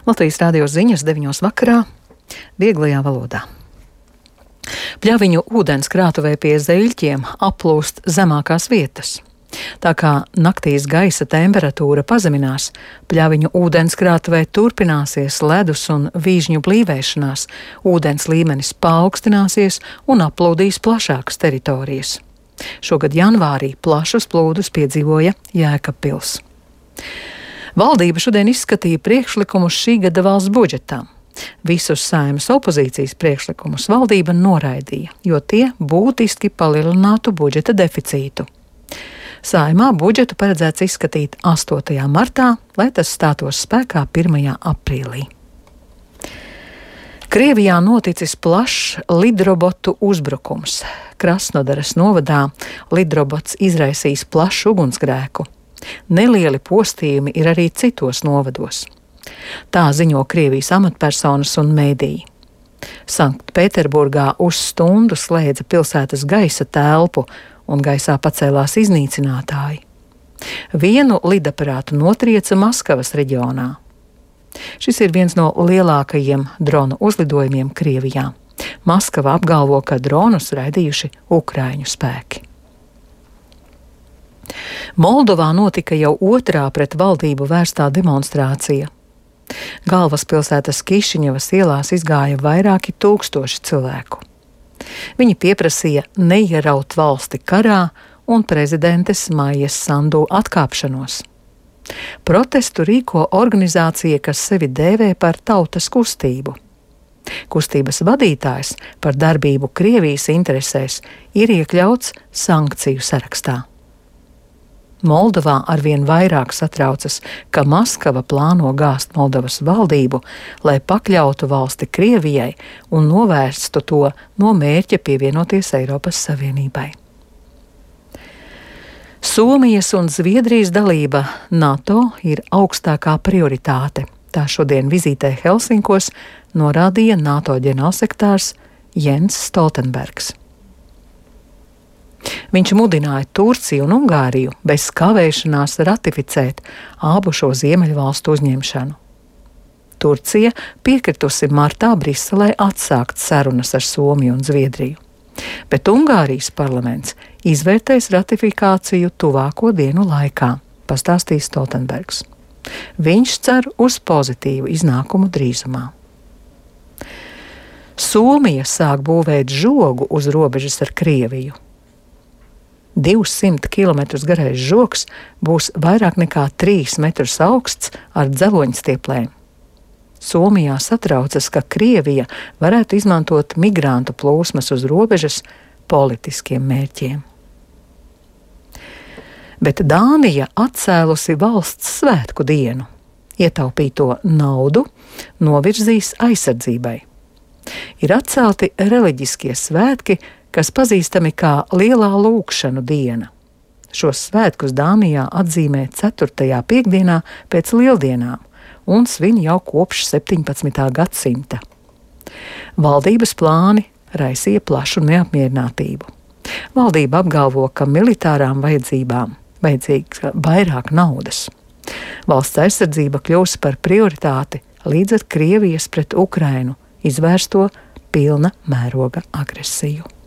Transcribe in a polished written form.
Latvijas radio ziņas 9 vakarā, vieglajā valodā. Pļaviņu ūdenskrātuvē pie Zeļķiem aplūst zemākās vietas. Tā kā naktīs gaisa temperatūra pazeminās, Pļaviņu ūdenskrātuvē turpināsies ledus un vīžņu blīvēšanās, ūdens līmenis paaugstināsies un aplūdīs plašākas teritorijas. Šogad janvārī plašus plūdus piedzīvoja Jēkabpils. Valdība šodien izskatīja priekšlikumus šī gada valsts budžetam. Visus Saeimas opozīcijas priekšlikumus valdība noraidīja, jo tie būtiski palielinātu budžeta deficītu. Saeimā budžetu paredzēts izskatīt 8. martā, lai tas stātos spēkā 1. aprīlī. Krievijā noticis plašs lidrobotu uzbrukums. Krasnodaras novadā lidrobots izraisījis plašu ugunsgrēku. Nelieli postījumi ir arī citos novados. Tā ziņo Krievijas amatpersonas un mēdīji. Sanktpēterburgā uz stundu slēdza pilsētas gaisa telpu un gaisā pacēlās iznīcinātāji. Vienu lidaparātu notrieca Maskavas reģionā. Šis ir viens no lielākajiem dronu uzlidojumiem Krievijā. Maskava apgalvo, ka dronus raidījuši Ukraiņu spēki. Moldovā notika jau otrā pret valdību vērstā demonstrācija. Galvaspilsētas Kišiņevas ielās izgāja vairāki tūkstoši cilvēku. Viņi pieprasīja neieraut valsti karā un prezidentes Maijas Sandu atkāpšanos. Protestu rīko organizācija, kas sevi dēvē par tautas kustību. Kustības vadītājs par darbību Krievijas interesēs ir iekļauts sankciju sarakstā. Moldovā arvien vairāk satraucas, ka Maskava plāno gāzt Moldovas valdību, lai pakļautu valsti Krievijai un novērstu to no mērķa pievienoties Eiropas Savienībai. Somijas un Zviedrijas dalība NATO ir augstākā prioritāte. Tā šodien vizītē Helsinkos norādīja NATO ģenerālsekretārs Jens Stoltenbergs. Viņš mudināja Turciju un Ungāriju bez kavēšanās ratificēt abu šo ziemeļvalstu uzņemšanu. Turcija piekritusi martā Briselē atsākt sarunas ar Somiju un Zviedriju, bet Ungārijas parlaments izvērtēs ratifikāciju tuvāko dienu laikā, pastāstīja Stoltenbergs. Viņš cer uz pozitīvu iznākumu drīzumā. Somija sāk būvēt žogu uz robežas ar Krieviju. 200 km garais žogs būs vairāk nekā 3 metrus augsts ar dzeloņstieplēm. Somijā satraucas, ka Krievija varētu izmantot migrantu plūsmas uz robežas politiskiem mērķiem. Bet Dānija atcēlusi valsts svētku dienu. Ietaupīto naudu novirzīs aizsardzībai. Ir atcelti reliģiskie svētki, kas pazīstami kā Lielā lūgšanu diena. Šos svētkus Dānijā atzīmē 4. piektdienā pēc lieldienām un svin jau kopš 17. gadsimta. Valdības plāni raisīja plašu neapmierinātību. Valdība apgalvo, ka militārām vajadzībām vajadzīgs vairāk naudas. Valsts aizsardzība kļūs par prioritāti līdz ar Krievijas pret Ukrainu izvērsto pilna mēroga agresiju.